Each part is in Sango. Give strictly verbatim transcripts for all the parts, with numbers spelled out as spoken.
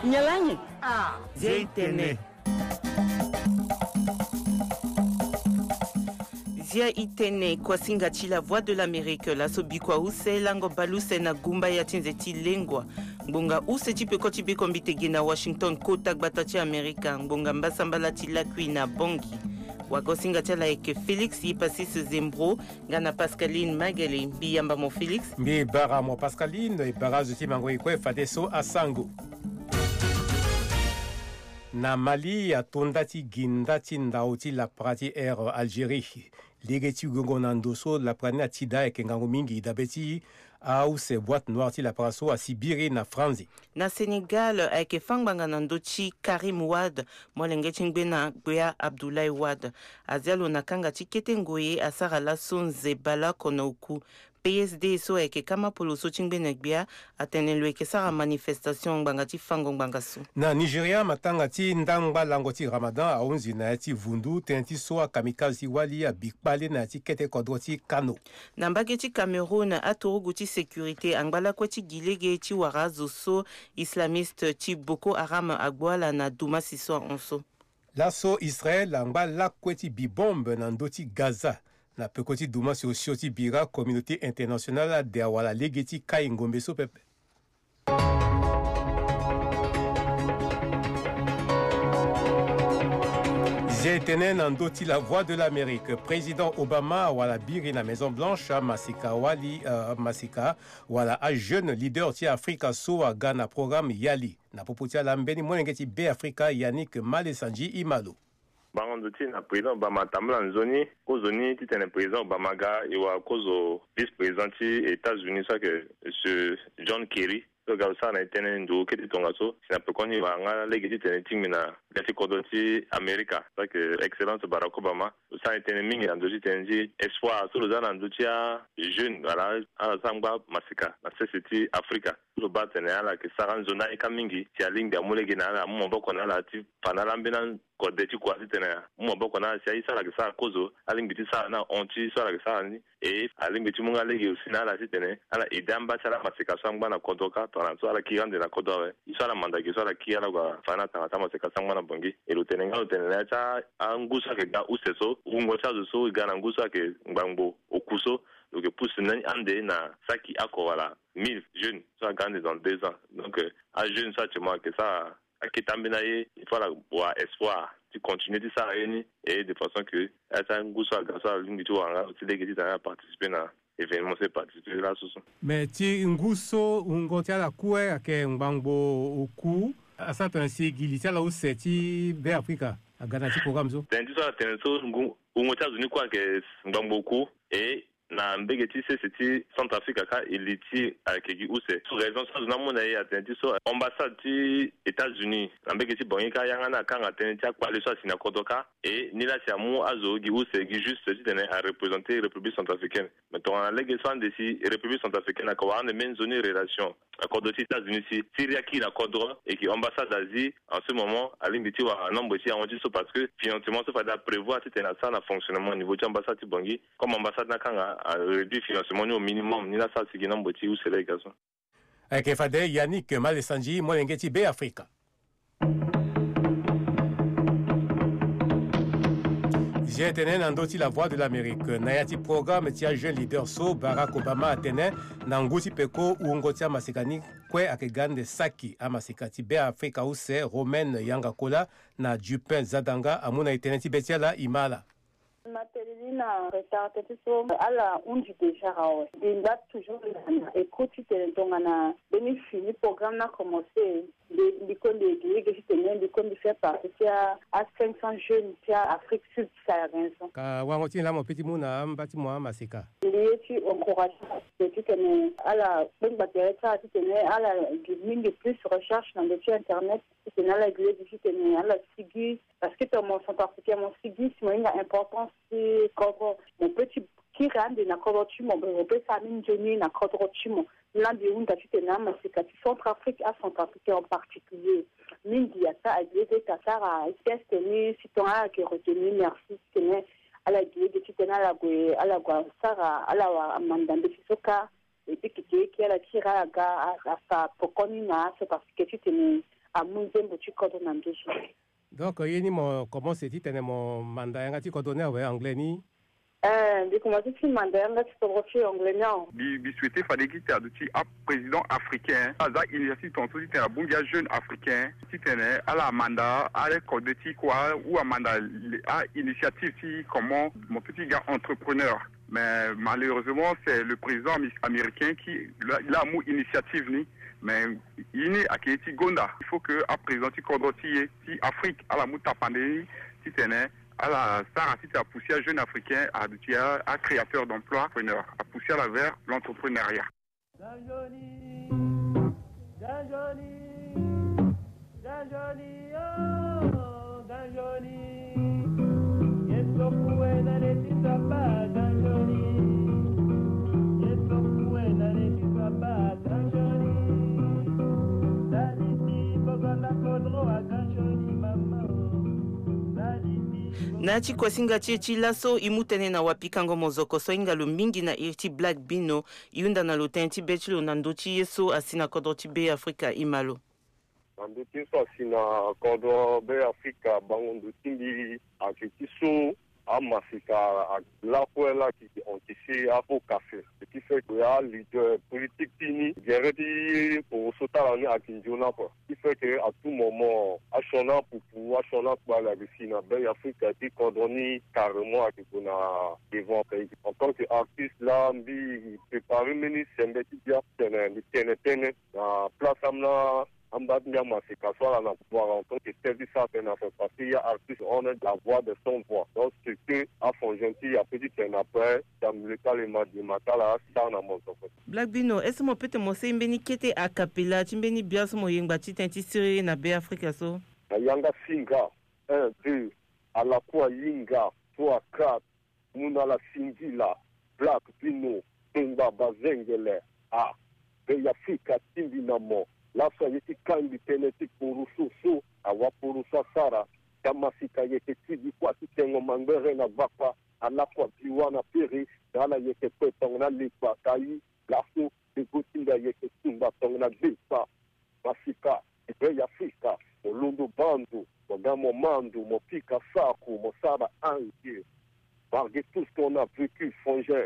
Nyalangi. Ah, Zia i tene. Zia i tene. Kuasinga ti La Voix de l'Amérique laso bikua use lango baleuse na gumba ya ti nze ti lengua. Ngbonga use ti peko ti bekombite ge na Washington, kota gbata ti Amerika. Ngbonga mbasambala ti lakui na Bangui. Wagosinga ti ala ayeke Félix Hypassis Zembro nga na Pascaline Magele. Mbi yamba mo Félix. Mbi bara mo Pascaline. E bara azo ti mango e kue fadeso asango. Na Mali, ato nda ti gi nda ti ndao ti lapara ti Air Algérie. Lege ti gongo na ndo so lapara ni atida ayeke ngangu mingi dabe ti ause boîte noire ti lapara so asi biri na Franzi. Na Sénégal, ayeke fâ ngbanga na ndö ti Karim Wade, molenge ti ngbena gbia Abdoulaye Wade. Azia lo na kanga ti kete ngoi asara laso nze baleoko na oku. P S D so ayeke kama polo so ti ngbene gbia atene lo yeke sara manifestation ngbanga ti fango ngbanga so. Na Nigeria, matanga ti ndangba lango ti Ramadan ahunzi na ya ti vundu tënë ti so akamikaze ti wali abi kpale na ya ti kete kodro ti Kano. Na mbage ti Cameroun, aturugu ti sécurité angba lakue ti gi lege ti wara azo so islamiste ti Boko Haram agbu ala na dumasi so ahon so. Laso Israël angba lakue ti bi bombe na ndö ti Gaza. Na peko ti dumasi osio ti bira, communauté internationale ade awala lege ti kai ngombe so pepe. Zia e tene na ndö ti La Voix de l'Amérique, président Obama awala biri na Maison Blanche amaseka wali, euh, amaseka wala ajeune leader ti Afrika so aga na programme YALI. Na popo ti ala, mbeni molenge ti Beafrika Yannick Malesanji Imalo. Bango ndo ti na président Obama atambula nzoni, kozoni titene président Obama aga, e wara kozo vice-président ti États-Unis so ayeke monsieur John Kerry. So aga lo sara na e tënë ndo kete tongaso si na pekoni e wara nga lege titene e tingbi na gbia ti kodro ti Amerika so ayeke excellence Barack Obama. Lo sara na e tënë mingi na ndö ti tënë ti espoir so lo za na ndö ti ajeune wala ala so angba maseka na sese ti Afrika. Lo baa atene ala yeke sara nzoni ayeka mingi si alingbi amu lege na ala, amu maboko na ala ti fa na ala ambeni kode ti kua titene amu maboko na ala si aye so ala yeke sara kozo alingbi ti sara ni ahon ti so ala yeke sara ni. E alingbi ti mu nga lege aussi na ala titene ala aide amba ti ala amaseka so angba na kodro kâ tongana so ala kiri ande na kodro awe. Ye so ala manda ge so ala kiri ala gue afa ni atanga ti amaseka so angba na Bangui. E lo tene nga lo tene na ya ti angu so ayeke ga use so, wungo ti azo so e ga na ngu so ayeke ngbangbo oku so, lo yeke pusu ni ande na saki oko wala mille jeunes so aga ande dans deux ans. Donc, euh, ajeune so actuellement ayeke sara akete ambeni aye, il faut ala wara espoir ti continuer ti sara ye ni. Et de façon que ala ti angu so aga so ala lingbi ti wara nga ti lege titene ala participer na événement so e participer laso so. Mais ti ngu so wungo ti ala kue ayeke ngbangbo oku, asara tongana si gi li ti ala use ti Beafrika aga na ya ti programme so. Tënë ti so ala tene so ngu, wungo ti azo ni kue ayeke ngbangbo oku. Et na mbege ti sese ti Centrafrique kâ e li ti ayeke gi use. So raison so azo ni amu na e atene ti so ambassade ti États-Unis na mbege ti Bangui kâ yanga ni akanga tënë ti akpale so asi na kodro kâ. E ni laa si amu azo gi use gi juste titene areprésenter République centrafricaine. Mais tongana lege so ande si République centrafricaine ayeke wara ande mbeni nzoni relation na kodro ti États-Unis si Syrie akiri na kodro, et que ambassade azi en ce moment alingbi ti wara nombre ti ahon ti so, parce que financement so fade aprévoir titene asara na fonctionnement niveau ti ambassade ti Bangui. Comme ambassade ni akanga aréduire financement ni au minimum, ni laa asara si gi nombre ti use lege so. Ayeke fade Yannick Malesanji, molenge ti Beafrika. Zia e tene na ndö ti La Voix de l'Amérique, na ya ti programme ti ajeune leader so Barack Obama atene na ngu ti peko wungo ti amaseka ni kue ayeke ga ande saki amaseka ti Beafrika use, Romaine Yanga Kola na Dupin Zadanga amu na e tënë ti be ti ala e ma ala. Na tene ni na retard tënë ti so ala hunzi déjà awe. Mbi ngba toujours na écoute titene tongana mbeni fini programme ni akomanse, mbi, mbi kue mbi gi lege titene mbi kue mbi fait partie ti a, a cinq cents jeunes ti a Afrique subsaharienne so. Ka wango ti nyen laa mo peut ti mu na amba ti mo amaseka? Mbi ye ti encourager titene ala kpengba tere ti ala titene ala gi mingi plus recherche na ndö ti internet. Titene ala gi lege titene ala sigi, parce que tongana mo centrafricain mo sigi si mo hinga importance ti kodro, mo peut ti kiri ande na kodro ti mo, mo peut sara ni nzoni na kodro ti mo. Ni laa mbi hunda titene amaseka ti Centrafrique, acentrafricain en particulier, mingi ata agi lege ti asara geste ni si tongana ala yeke retenir, merci, titene ala gi lege titene ala gue, ala gue asara, ala wara manda mbeti so kâ. E biki ti e ki ala ti ra aga a, asa poko ni na aso, parce que titene amu nzembo ti kodro na nduzu. Donc ye ni mo commence titene mo manda yanga ti kodro ni awe, anglais ni? Eh, mbi commence ti manda yanga ti kodro ti anglais ni awe. Mbi, mbi souhaite fade gi ti adu ti aprésident africain aza initiative tongaso titene abongbi ajeune africain titene ala manda arecorde ti kua ou amanda le- a initiative ti comment mo peut ti ga entrepreneur. Mais malheureusement, c'est le président ami- américain qui l'a l'a mu initiative ni. Mais ye ni ayeke ye ti gonda. Il faut que aprésident ti kodro ti e ti Afrique ala mu tapande ni titene ala sara titene apousser ajeune africain aduti a, a créateur d'emploi, entrepreneur, apousser ala vers l'entrepreneuriat. Ganjoni, ganjoni, ganjoni, oh, ganjoni. Yesu kuwe na leti zaba, ganjoni. Yesu kuwe na leti zaba, ganjoni. Daliti boganda kodro a ganjoni, mama, oh. Daliti. Na ti kuasinga ti e ti laso, e mu tënë na wapikango mozoko so ahinga lo mingi na iri ti Black Bino. E hunda na lo tënë ti be ti lo na ndö ti ye so asi na kodro ti Be Afrika. E ma lo. Na ndö ti ye so asi na kodro Be Afrika, bango ndo ti mbi ayeke ti so amaseka lakue laa ayeke hon ti si apo kafe. Ce qui fait que aleader politique ti ni, gere ti poroso ti ala ni ayeke nzoni oko. Ce qui fait que à tout moment asioni apupu, asioni akpale ayeke si na Be Afrika ti kodro ni carrément ayeke gue na devant. En tant que artiste laa, mbi préparer mbeni sembe ti bia tene mbi tene tënë na place ambeni amba ti mbi amaseka so ala na pouvoir en tant que chef ti sara tënë na ape, parce que ya artiste hon la voix de sans voix. Donc ce que afon gentil ape ti tene na ape, si amoleka le ma di ma ti ala asara na mozoko. Black Bino, est-ce que mo peut ti mo seni mbeni kete a cappella ti mbeni bia so mo yengba ti tënë ti siriri na Be Afrika so? Na yanga singa, un, deux, ala kue ahinga, trois, quatre. Mu na ala singila, Black Bino, tengba bazengele, ah, Be Afrika tingbi na mo. Laso aye ti kangbi tënë ti poroso so, awa poroso asara, ti amaseka ayeke ti di kua ti tengo mangbere na gbakpa, ala kua biwa na pere, na ala yeke kue tongana lekpa, ka i, laso, lego ti mbi ayeke tumba tongana gbekpa. Masika, ti Be Afrika, mo londo baa ndo, mo ga mo ma ndo, mo pika sako, mo sara ange. Malgré tout ce qu'on a vécu, Frangin,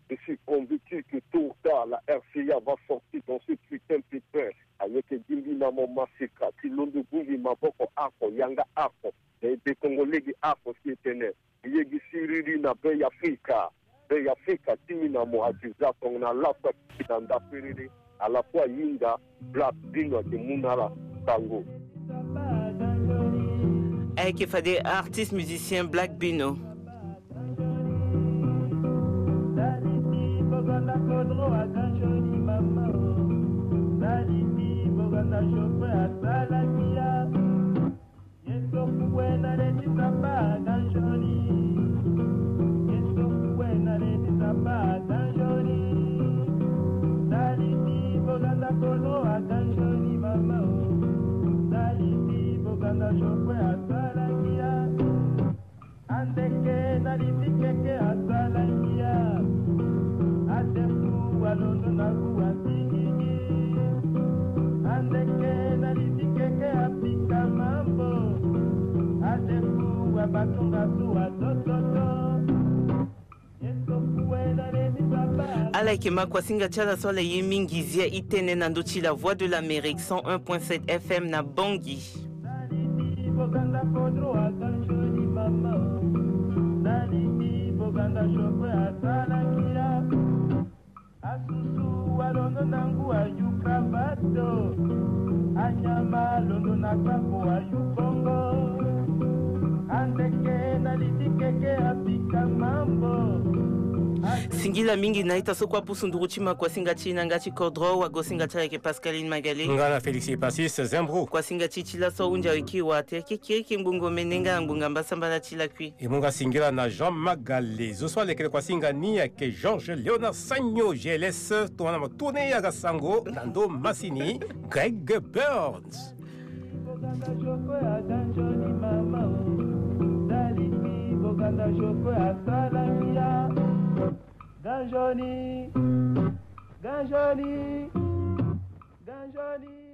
je suis convaincu que tôt ou tard, la R C A va sortir dans ce putain de pépin. Ayeke dingbi na mo maseka, ti londo bongbi maboko oko, yanga oko. Na ebe kongo lege oko si e tene. Ye gi siriri na Be Afrika. Be Afrika ti mi na mo ati za tongana lapa ti na nda perere. Ala kue ahinga Black Bino ake mu na ala sango. Ayeke fade artiste musicien Black Bino. Daliti boganda kodro a ganjoni mama o. Daliti boganda chauffeur asala kia. Yesu kuwe na leti zaba a ganjoni. Yesu kuwe na leti zaba a ganjoni. Daliti boganda kodro a ganjoni mama o. Daliti boganda chauffeur asala kia. Andeke na liti keke asala ngia. Adefu alondo na ngu asingigi. Andeke na liti keke apika mambo. Adefu abatunga su atototo. Ala yeke ma kuasinga ti ala so ala ye mingi zia e tene na ndö ti La Voix de l'Amérique cent un point sept F M na Bangui. Naliti boganda kodro aganjoni mama o. Naliti boganda chauffeur asala ngira. Asusu alondo na ngu ayu kravato. Anyama alondo na kpako ayu bongo. Andeke naliti keke apika mambo. Singila mingi na ita so kue apusu nduru ti ma kuasinga ti e na yanga ti kodro. Wagosinga ti ala yeke Pascaline Magalé. Nga na Félix Epasis Zembro. Kuasinga ti e ti laso ahunzi aweki wa tere kekiriki ngbongo mene nga na ngbonga mbasambala ti lakui. E mu nga singila na Jean Magalé. Zo so alekere kuasinga ni ayeke Georges Léonard Sagno, G L S, tongana mo tourne aga sango na ndo masini, Greg Burns. Boganda Joko aganjoni mama o. Daliti Boganda Joko asala ngia. Ganjoni. Ganjoni, ganjoni.